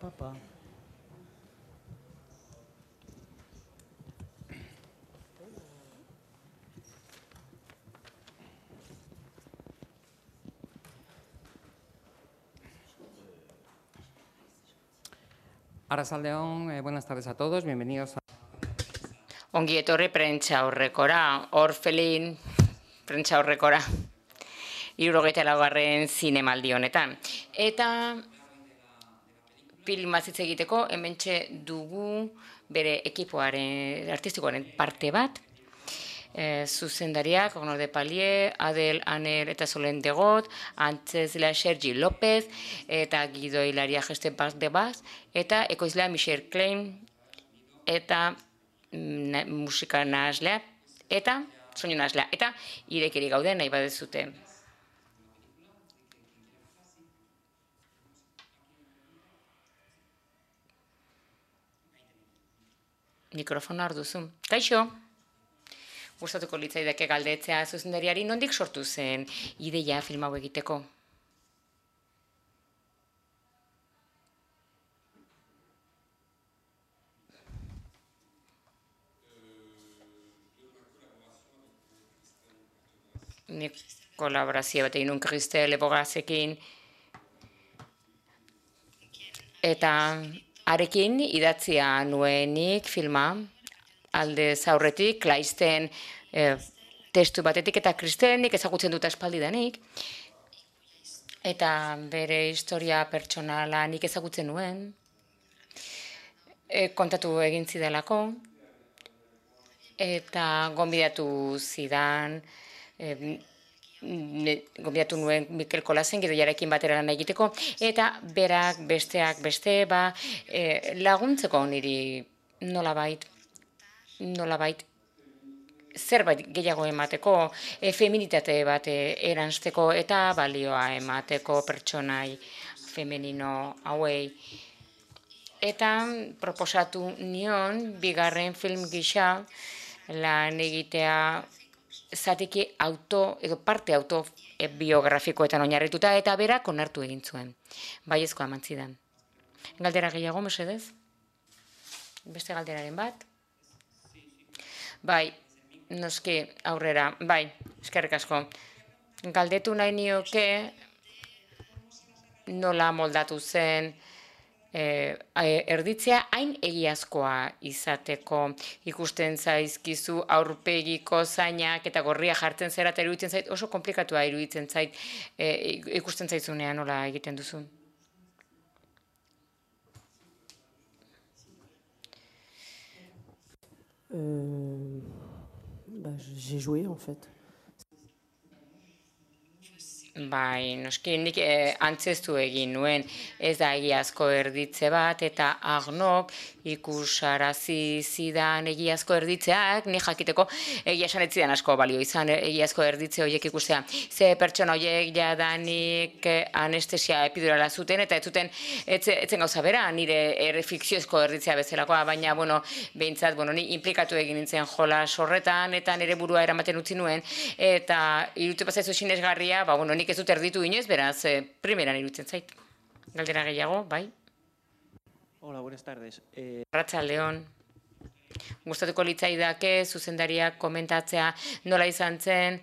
pa. Arratsaldeon, buenas tardes a todos, bienvenidos a... Ongi etorri prentsa horrekora, Orfelin prentsa horrekora, 74. zinemaldi honetan. Eta filmaz hitz egiteko hementxe dugu bere ekipoaren artistikoaren parte bat, zuzendariak, Honor de Palier, Adel Aner eta Solen Degot, antzezlea Sergi López, eta Guido Hilaria Geste Bas de Bas, eta ekoizlea Michel Klein, eta musika nahaslea, eta soinu nahaslea, eta irekiri gaude nahi badezute. Mikrofona hor duzu. Kaixo! Gustatuko litzaidake galdetzea zuzendariari nondik sortu zen ideia film hau egiteko? Nik kolaborazio bat egin nun Kristel Ebogazekin, eta arekin idatzia nuenik filma, alde zaurretik, Klaisten testu batetik, eta Kristelenik ezagutzen dut aspaldidanik, eta bere historia pertsonala nik ezagutzen nuen, kontatu egin zidalako, eta gonbidatu zidan, gonbidatu nuen Mikel Kolasen gidoiarekin batera lan egiteko, eta berak besteak beste laguntzeko niri nolabait zerbait gehiago emateko, feminitate bat eranzteko eta balioa emateko pertsonai femenino hauei. Eta proposatu nion bigarren film gisa lan egitea zatiki parte autobiografikoetan oinarrituta, eta berak onartu egin zuen. Baiezkoa eman zidan. Galdera gehiago, mesedez? Beste galderaren bat? Bai, noski aurrera. Bai, eskerrik asko. Galdetu nahi nioke nola moldatu zen erditzea hain egiazkoa izateko. Ikusten zaizkizu aurpegiko zainak eta gorria jartzen zera, eta iruditzen zait oso komplikatua iruditzen zait ikusten zaizunean nola egiten duzu. J'ai joué en fait. Bai, noski nik antzeztu egin nuen, ez da egiazko erditze bat, eta Agnok ikusarazi zidan egiazko erditzeak, ni jakiteko egia esan ez zidan asko balio izan egiazko erditze horiek ikustea. Ze pertsona horiek jadanik anestesia epidurala zuten, eta ez zuten etzen gauza bera, nire fikziozko erditzea bezalakoa, baina, behintzat, ni implikatu egin nintzen jolas horretan, eta nire burua eramaten utzi nuen, eta iruditu pasaizu sinesgarria, nik ez dut erditu inoiz, beraz, primeran iruditzen zait. Galdera gehiago, bai? Hola, buenas tardes. Arratsaldeon. Gustatuko litzaidake zuzendariak komentatzea nola izan zen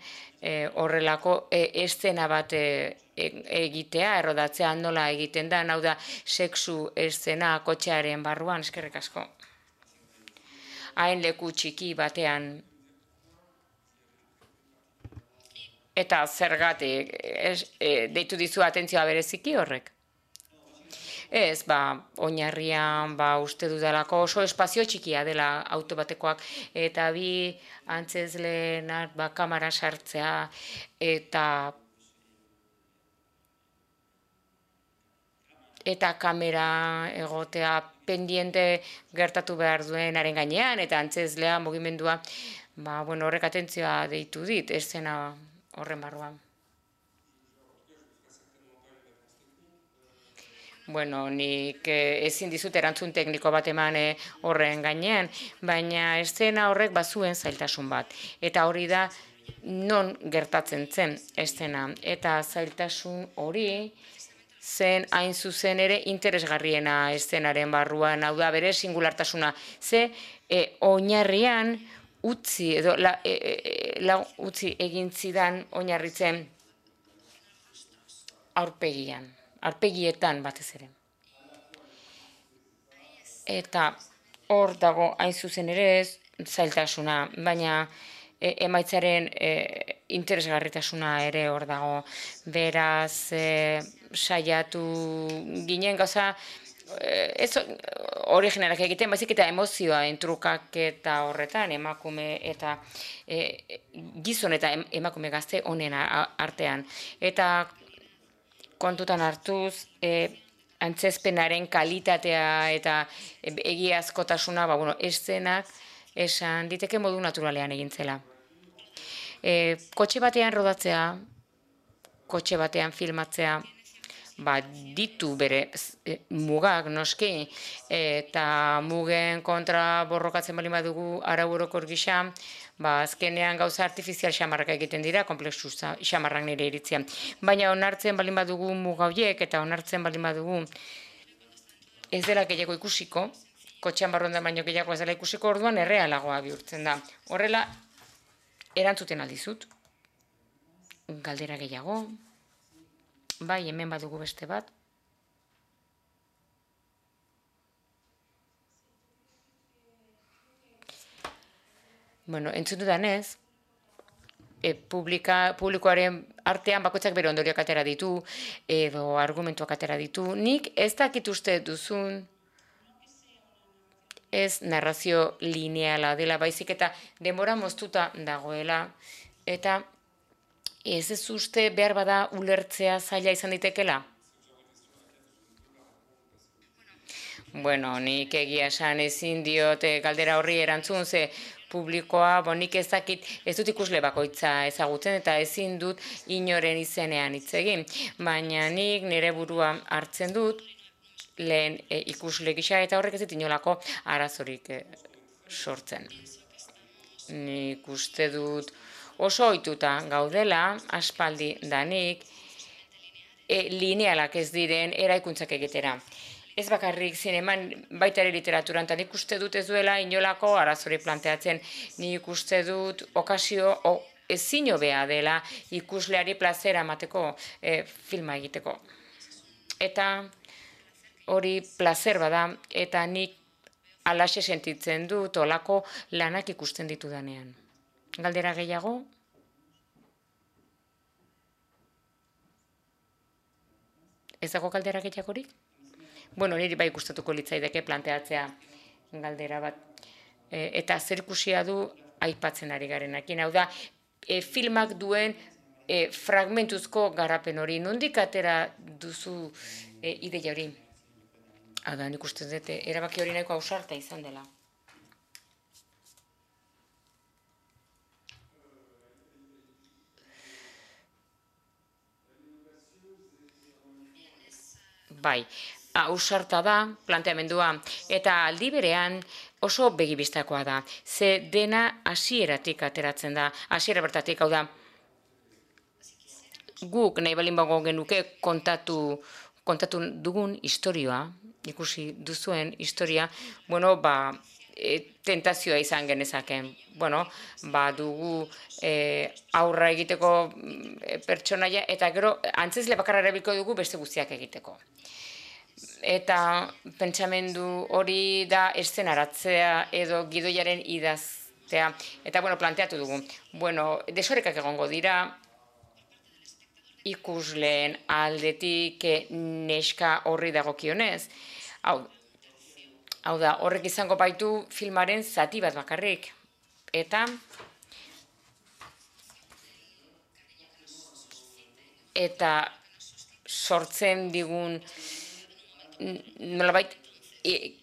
horrelako eszena bat egitea, errodatzea nola egiten da, hau da, sexu eszena kotxearen barruan, eskerrik asko. Hain leku txiki batean. Eta zergatik, deitu dizu atentzioa bereziki horrek? Ez, oinarrian, uste dudalako oso espazio txikia dela auto batekoak, eta bi antzezleenak kamara sartzea, eta kamera egotea pendiente gertatu behar duenaren gainean, eta antzezlea mugimendua, horrek atentzioa deitu dit, eszena horren barruan. Nik ezin dizut erantzun tekniko bat eman horren gainean, baina eszena horrek bazuen zailtasun bat. Eta hori da non gertatzen zen eszena. Eta zailtasun hori zen hain zuzen ere interesgarriena eszenaren barruan, hau da bere singulartasuna. Ze oinarrian utzi edo utzi egin zidan oinarritzen aurpegietan batez ere. Eta hor dago hain zuzen ere zailtasuna, baina emaitzaren interesgarritasuna ere hor dago. Beraz, saiatu ginen gauza, ez originalak egiten, baizik eta emozioa entrukak eta horretan, emakume eta gizon eta emakume gazte honen artean. Eta kontutan hartuz, antzezpenaren kalitatea eta egiazkotasuna, eszenak esan diteke modu naturalean egintzela. Kotxe batean rodatzea, kotxe batean filmatzea, ditu bere mugak noski, eta mugen kontra borrokatzen baldin badugu arau orokor gisa, azkenean gauza artifizial xamarrak egiten dira, komplexu xamarrak nire iritzian. Baina onartzen baldin badugu muga horiek eta onartzen baldin badugu ez dela gehiago ikusiko, kotxean barruan baino gehiago ez dela ikusiko, orduan errealagoa bihurtzen da. Horrela, erantzuten aldizut, galdera gehiago, hemen badugu beste bat. Entzun dudanez, publikoaren artean bakoitzak bere ondorioak atera ditu, edo argumentuak atera ditu. Nik ez dakit uste duzun ez narrazio lineala dela, baizik eta denbora moztuta dagoela, eta ez uste behar bada ulertzea zaila izan ditekela? Nik egia esan ezin diot galdera horri erantzun, ze publikoa, nik ez dakit, ez dut ikusle bakoitza ezagutzen, eta ezin dut inoren izenean hitz egin. Baina nik nire burua hartzen dut, lehen ikusle gisa, eta horrek ez dit inolako arazorik sortzen. Nik uste dut oso ohituta gaudela, aspaldi danik, linealak ez diren eraikuntzak egitera. Ez bakarrik zineman, baita ere literaturan, eta nik uste dut ez duela inolako arazorik planteatzen. Nik uste dut okazio ezin hobea dela ikusleari plazera emateko filma egiteko. Eta hori plazer bada, eta nik alaxe sentitzen dut olako lanak ikusten ditudanean. Galdera gehiago? Ez dago galdera gehiagorik? Niri bai gustatuko litzaideke planteatzea galdera bat. Eta zer ikusia du aipatzen ari garenakin. Hau da, filmak duen fragmentuzko garapen hori. Nondik atera duzu ideia hori? Hau da, nik uste dut, erabaki hori nahiko ausarta izan dela. Ausarta da, planteamendua, eta aldi berean oso begibistakoa da. Ze dena hasieratik ateratzen da, hasiera bertatik, hau da, guk nahi balin bago genuke kontatu dugun historioa, ikusi duzuen historia, tentazioa izan genezaken. Dugu aurra egiteko pertsonaia, eta gero antzezle bakarra erabiliko dugu beste guztiak egiteko. Eta pentsamendu hori da eszenaratzea edo gidoiaren idaztea. Eta planteatu dugu. Desorekak egongo dira, ikusleen aldetik neska horri dagokionez. Hau da, horrek izango baitu filmaren zati bat bakarrik. Eta sortzen digun nolabait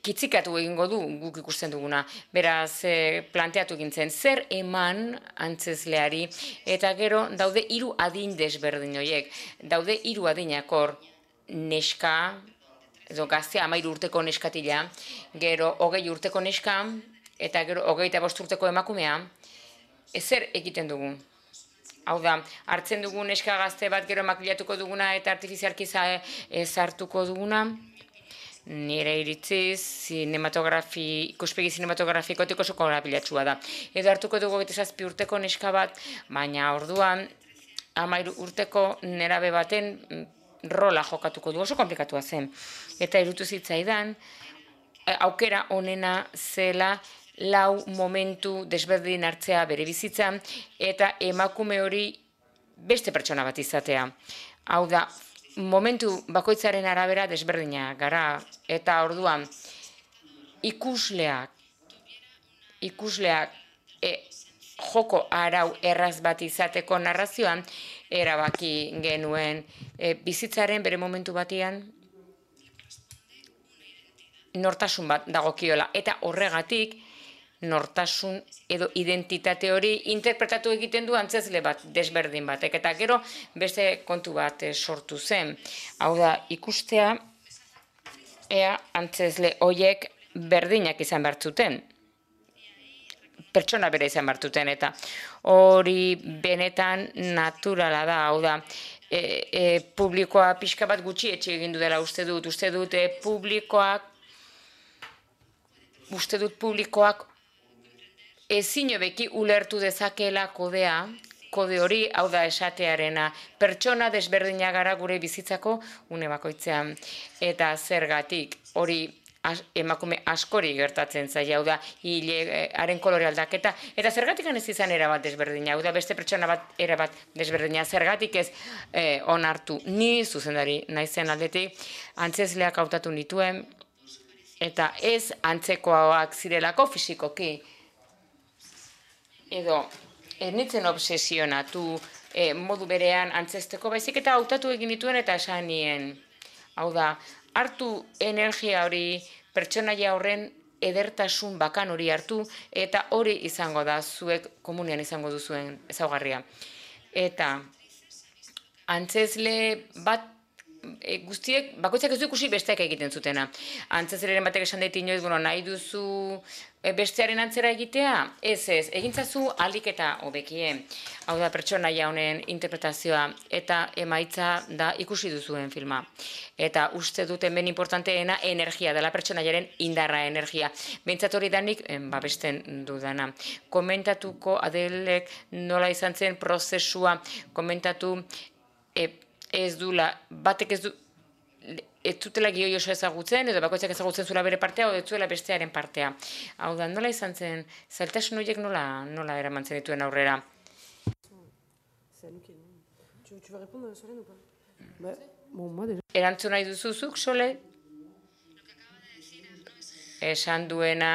kitzikatu egingo du guk ikusten duguna. Beraz, planteatu gintzen, zer eman antzezleari, eta gero daude 3 adin desberdin horiek. Daude 3 adinakor neska, edo gaztea 13 urteko neskatila, gero 20 urteko neska, eta gero 25 urteko emakumea. Zer egiten dugu? Hau da, hartzen dugun neska gazte bat gero makillatuko duguna eta artifizialki sartuko duguna, nire iritziz, ikuspegi sinematografikotik oso korapilatsua da. Edo hartuko dugu 27 urteko neska bat, baina orduan 13 urteko nerabe baten rola jokatuko du, oso komplikatua zen. Eta irutu zitzaidan, aukera onena zela 4 momentu desberdin hartzea bere bizitzan, eta emakume hori beste pertsona bat izatea. Hau da, momentu bakoitzaren arabera desberdina gara, eta orduan ikusleak joko arau erraz bat izateko narrazioan, erabaki genuen bizitzaren bere momentu batean nortasun bat dagokiola, eta horregatik nortasun edo identitate hori interpretatu egiten du antzezle bat, desberdin batek, eta gero beste kontu bat sortu zen. Hau da, ikustea, ea antzezle horiek berdinak izan bertzuten, pertsona bere izan bertzuten, eta hori benetan naturala da, hau da, publikoa pixka bat gutxi etxe egin dela uste dut publikoak ezin hobeki ulertu dezakeela kode hori, hau da esatearena, pertsona desberdina gara gure bizitzako une bakoitzean. Eta zergatik hori emakume askori gertatzen zaila, hau da haren kolore aldaketa, eta zergatik ez izan erabat desberdina, hau da beste pertsona bat erabat desberdina, zergatik ez onartu ni zuzendari naizen aldetik, antzezleak hautatu nituen, eta ez antzekoak zirelako fisikoki, edo ez nintzen obsesionatu modu berean antzesteko, baizik eta hautatu egin dituen eta esan nien. Hau da, hartu energia hori, pertsonaia horren edertasun bakan hori hartu, eta hori izango da, zuek komunean izango duzuen ezaugarria. Eta antzezle bat, guztiek, bakoitzak ez du ikusi besteak egiten zutena. Antzezleren batek esan daite inoiz, nahi duzu bestearen antzera egitea? Ez, egintzazu ahalik eta hobekien. Hau da pertsonaia honen interpretazioa, eta emaitza da ikusi duzuen filma. Eta uste dut hemen importanteena energia dela, pertsonaiaren indarra energia. Behintzat hori danik babesten dudana. Komentatuko Adelek nola izan zen prozesua, komentatu ez dula, batek ez dutela gioi oso ezagutzen, edo bakoitzak ezagutzen zuela bere partea, edo ez zuela bestearen partea. Hau da, nola izan zen, zailtasun horiek nola eramantzen dituen aurrera? Erantzun nahi duzuzuk, Sole? Esan duena,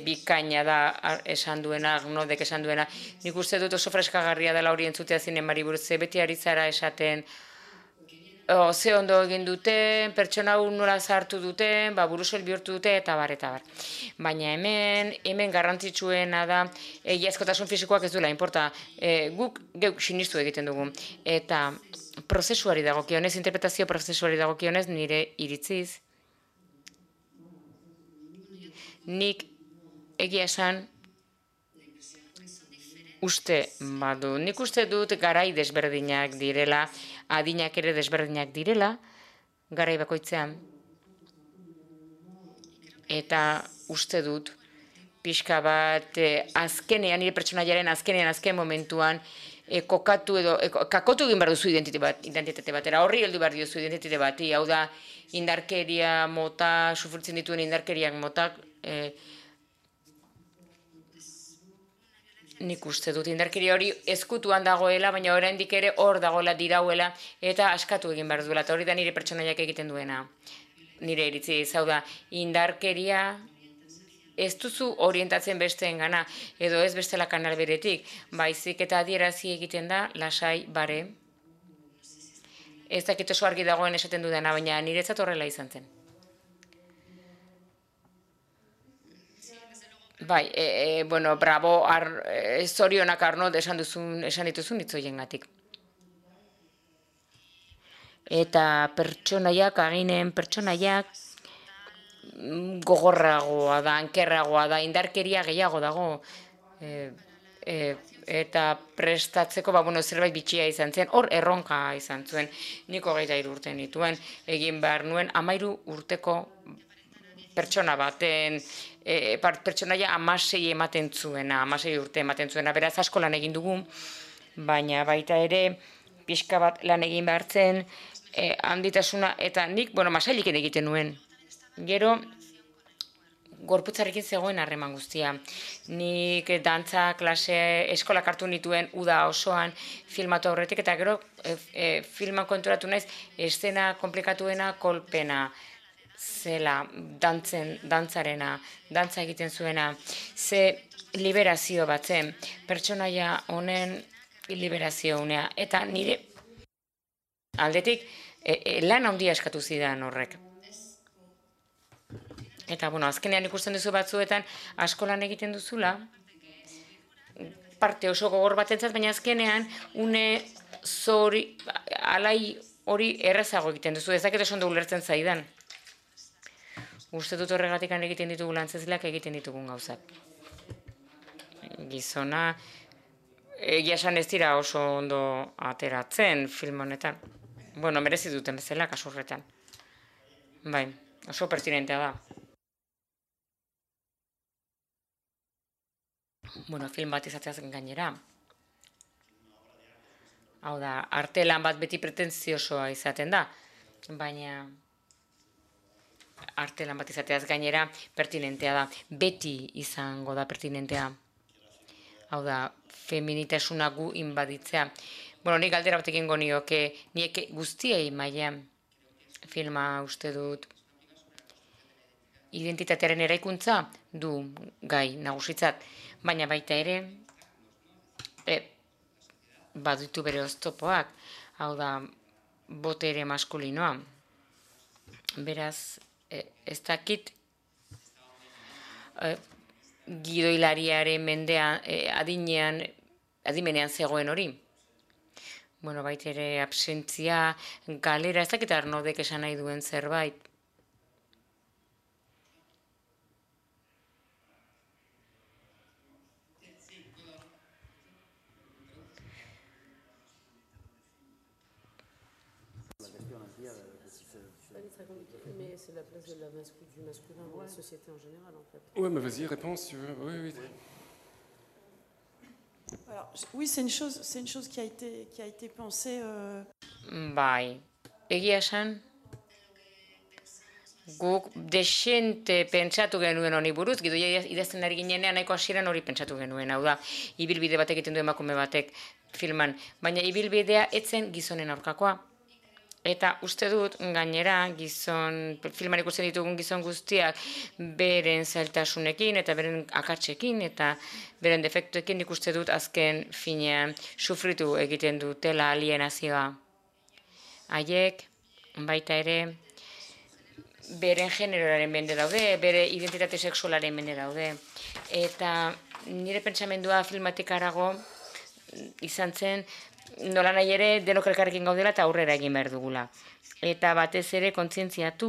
bikaina da, esan duena, Agnodek esan duena. Nik uste dut oso freskagarria dela hori entzutea zinemari buruz, beti ari zara esaten, ze ondo egin duten, pertsona nola zartu duten, burusel bihurtu dute, eta bar. Baina hemen garrantzitsuena da, egiazkotasun fisikoak ez duela, inporta, guk geuk sinistu egiten dugu. Eta prozesuari dagokionez, interpretazio prozesuari dagokionez, nire iritziz, nik egia esan nik uste dut garai desberdinak direla, adinak ere desberdinak direla, garai bakoitzean. Eta uste dut, pixka bat, azkenean, nire pertsonaiaren azken momentuan, kakotu egin behar duzu identitate batera, horri heldu behar duzu identitate bati, hau da, indarkeria mota, sufritzen dituen indarkeriak motak, nik uste dut indarkeria hori ezkutuan dagoela, baina oraindik ere hor dagoela, dirauela, eta askatu egin behar duela, eta hori da nire pertsonaiak egiten duena. Nire iritzi, hau da, indarkeria ez duzu orientatzen besteen gana, edo ez bestela kanal beretik, baizik eta adierazi egiten da, lasai, bare. Ez dakit oso argi dagoen esaten dudana, baina niretzat horrela izan zen. Bai, bravo, zorionak Arnold esan dituzun hitzoiengatik. Eta pertsonaiak, aginen pertsonaiak, gogorragoa da, ankerragoa da, indarkeria gehiago dago. eta prestatzeko zerbait bitxia izan zen, hor erronka izan zuen, nik 23 urte nituen, egin behar nuen 13 urteko pertsona baten, pertsonaia 16 ematen zuena, 16 urte ematen zuena, beraz asko lan egin dugu, baina baita ere pixka bat lan egin behar zen, handitasuna, eta nik, masailiken egiten nuen. Gero, gorputzarekin zegoen harreman guztia. Nik dantza klase eskolak hartu nituen uda osoan filmatu aurretik, eta gero filman konturatu naiz, eszena komplikatuena kolpena zela, dantzarena, dantza egiten zuena, ze liberazio bat zen, pertsonaia honen liberazio unea, eta nire aldetik lan handia eskatu zidan horrek. Eta, azkenean ikusten duzu batzuetan asko lan egiten duzula, parte oso gogor batentzat, baina azkenean une zori, alai hori errezago egiten duzu, ezaket oso ondo ulertzen zaidan. Uste dut horregatik egiten ditugu lantzezleak egiten ditugun gauzak. Gizona, egia esan ez dira oso ondo ateratzen film honetan. Merezi duten bezala kasurretan. Bai, oso pertinentea da. Film bat izateaz gainera. Hau da, arte lan bat beti pretentziosoa izaten da, baina arte lan bat izateaz gainera pertinentea da. Beti izango da pertinentea. Hau da, feminitasuna gu inbaditzea. Nik galdera bat egingo nioke, nieke guztiei maila filma uste dut identitatearen eraikuntza du gai nagusitzat, baina baita ere baditu bere oztopoak, hau da botere maskulinoa. Beraz, ez dakit gidoilariaren mendean, adimenean zegoen hori. Baita ere absentzia, galera, ez dakit Arnaudek esan nahi duen zerbait. Mais c'est la place du masculin dans la société en général, en fait. Ouais, mais vas-y, réponds si tu veux. Oui. Alors, oui, c'est une chose qui a été pensée. Bai, egia esan, guk desente pentsatu genuen honi buruz, gidoia idazten ari ginenean nahiko hasieran hori pentsatu genuen, hau da, ibilbide batek egiten du emakume batek filman, baina ibilbidea etzen gizonen aurkakoa. Eta uste dut, gainera, filman ikusten ditugun gizon guztiak beren zailtasunekin eta beren akatsekin eta beren defektuekin ikuste dut azken finean sufritu egiten dutela alienazioa. Haiek, baita ere, beren generoaren mende daude, bere identitate sexualaren mende daude. Eta nire pentsamendua filmatik harago izan zen, nola nahi ere denok elkarrekin gaudela eta aurrera egin behar dugula. Eta batez ere kontzientziatu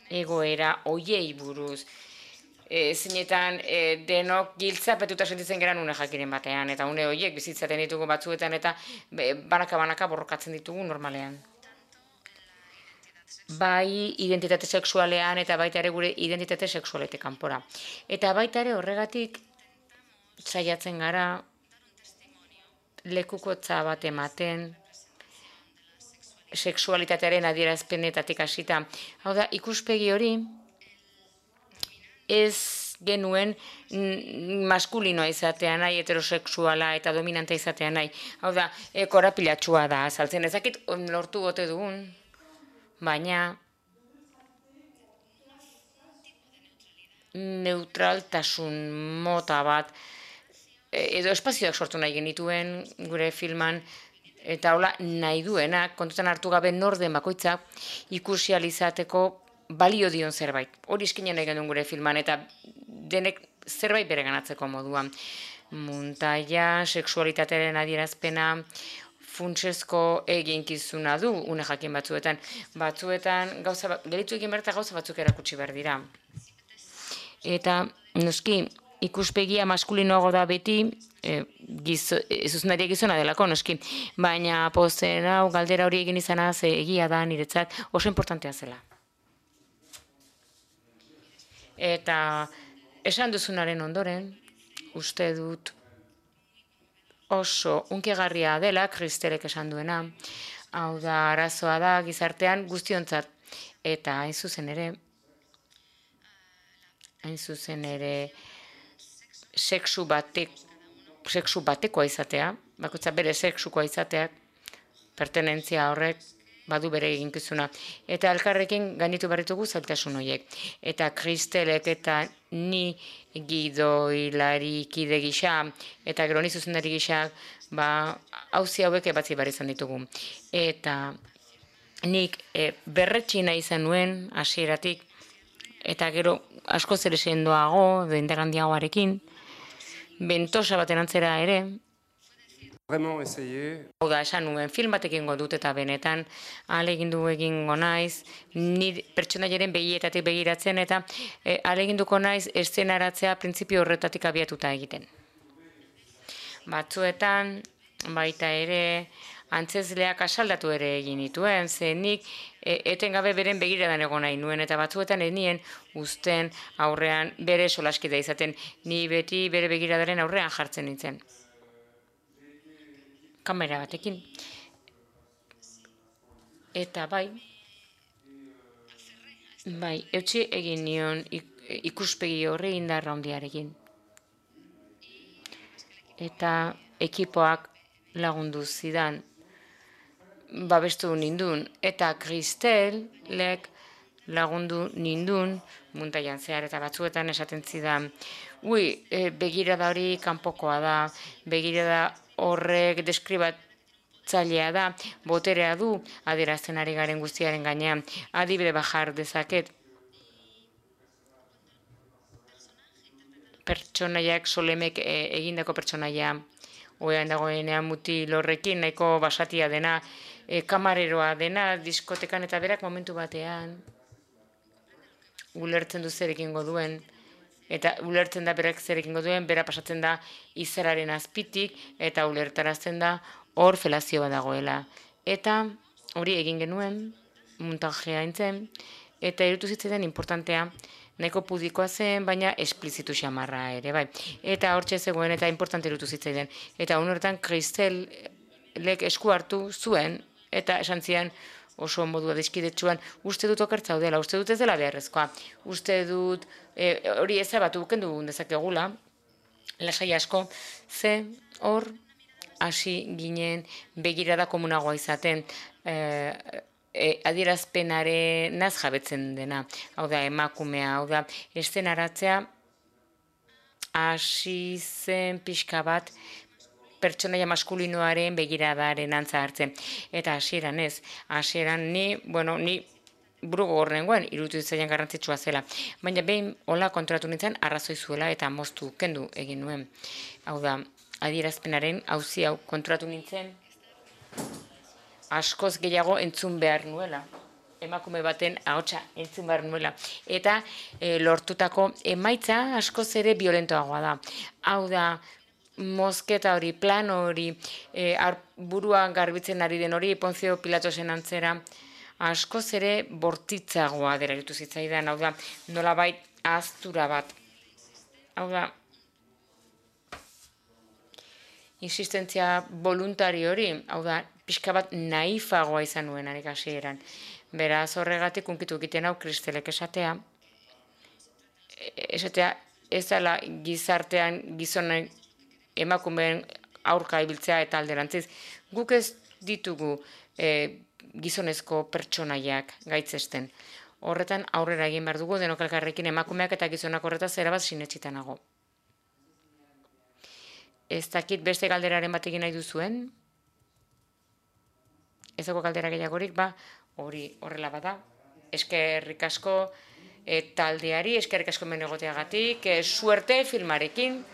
egoera hoiei buruz. Zeinetan denok giltzapetuta sentitzen geran une jakiren batean, eta une horiek bizitzaten ditugu batzuetan eta banaka borrokatzen ditugu normalean. Bai identitate sexualean eta baita ere gure identitate sexualetik kanpora. Eta baita ere horregatik saiatzen gara lekukotza bat ematen sexualitatearen adierazpenetatik hasita. Hau da, ikuspegi hori ez genuen maskulinoa izatea nahi, heterosexuala eta dominante izatea nahi. Hau da, korapilatxua da, azaltzen ezakit lortu gote dugun, baina neutraltasun mota bat edo espazioak sortu nahi genituen gure filman, eta hola nahi duenak, kontutan hartu gabe norden bakoitzak ikusi alizateko balio dion zerbait. Hori eskinen nahi genuen gure filman, eta denek zerbait bere ganatzeko moduan. Muntaia, sexualitatearen adierazpena, funtsezko eginkizuna du, une jakin batzuetan. Batzuetan, gelitu egin behar eta gauza batzuk erakutsi behar dira. Eta, noski, ikuspegia maskulinoago da beti, zuzendaria gizona delako, noski, baina pozen hau galdera hori egin izana egia da niretzat oso importantea zela. Eta esan duzunaren ondoren, uste dut oso unkigarria dela, Kristelek esan duena, hau da arazoa da gizartean guztiontzat, eta hain zuzen ere, sexu batekoa izatea, bakoitza bere sexukoa izateak, pertenentzia horrek badu bere eginkizuna. Eta elkarrekin gainitu barritugu zailtasun horiek. Eta Kristelek eta ni gidoilari kide gisa, eta gero ni zuzendari gisa, hauzi hauek ebatzi behar izan ditugu. Eta nik berretsi nahi izan nuen hasieratik, eta gero askoz ere sendoago, indarrandiagoarekin, bentosa baten antzera ere, Vraiment essayer. hau da, esan nuen, film bat egingo dut eta benetan ahalegindu egingo naiz, ni pertsonaiaren begietatik begiratzen eta ahaleginduko naiz eszenaratzea printzipio horretatik abiatuta egiten. Batzuetan, baita ere, antzezleak asaldatu ere egin dituen, zenik etengabe beren begiradan egon nahi nuen, eta batzuetan enien uzten aurrean bere solaskidea izaten, ni beti bere begiradaren aurrean jartzen nintzen. Kamera batekin. Eta bai, eutsi egin nion ikuspegi horri indarra handiarekin. Eta ekipoak lagundu zidan, babestu nindun, eta Kristelek lagundu nindun, muntaian zehar eta batzuetan esaten zidan, begirada hori kanpokoa da, begirada horrek deskribatzailea da, boterea du, adierazten ari garen guztiaren gainean, adibide bajar dezaket. Pertsonaiak, Solemek egindako pertsonaia, oean dagoenean mutil horrekin, nahiko basatia dena, kamareroa dena, diskotekan eta berak momentu batean, ulertzen du zer egingo duen, eta ulertzen da berak zer egingo duen, bera pasatzen da izararen azpitik, eta ulertarazten da hor felazio bat dagoela. Eta hori egin genuen, montajea entzen, eta irutu zitzaidan importantea, nahiko pudikoa zen, baina esplizitu xamarra ere, bai. Eta hortxe zegoen, eta importante irutu zitzaidan. Eta honortan Kristelek esku hartu zuen, eta esan zian oso modua dizkidetsuan, uste dut okertza dela, uste dut ez dela beharrezkoa, uste dut hori ezabatu kendu dezakegula, lasai asko, ze hor hasi ginen begirada komunagoa izaten, adierazpenaren naz jabetzen dena, hau da emakumea, hau da eszenaratzea hasi zen pixka bat pertsonaia maskulinoaren begiradaren antza hartzen. Eta hasieran ez, hasieran ni buru gogorrengoen irutu zailan garrantzitsua zela. Baina behin hola kontratu nintzen arrazoi zuela eta moztu kendu egin nuen. Hau da, adierazpenaren auzi hau kontratu nintzen askoz gehiago entzun behar nuela. Emakume baten ahotsa entzun behar nuela. Eta lortutako emaitza askoz ere violentoagoa da. Hau da, mozketa hori, plan hori, buruan garbitzen ari den hori, Ponzio Pilatosen antzera, askoz ere bortitzagoa dela irutu zitzaidan, hau da, nolabait ahaztura bat. Hau da, insistentzia voluntari hori, hau da, pixka bat naifagoa izan nuen harik hasieran. Beraz horregatik unkitu egiten hau Kristelek esatea ez dela gizartean gizonek emakumeen aurka ibiltzea eta alderantziz. Guk ez ditugu gizonezko pertsonaiak gaitzesten. Horretan aurrera egin behar dugu denok elkarrekin emakumeak eta gizonak horretaz erabat sinetsita nago. Ez dakit beste galderaren bat egin nahi duzuen? Ez dago galdera gehiagorik, hori horrela bada. Eskerrik asko taldeari, eskerrik asko hemen egoteagatik, suerte filmarekin.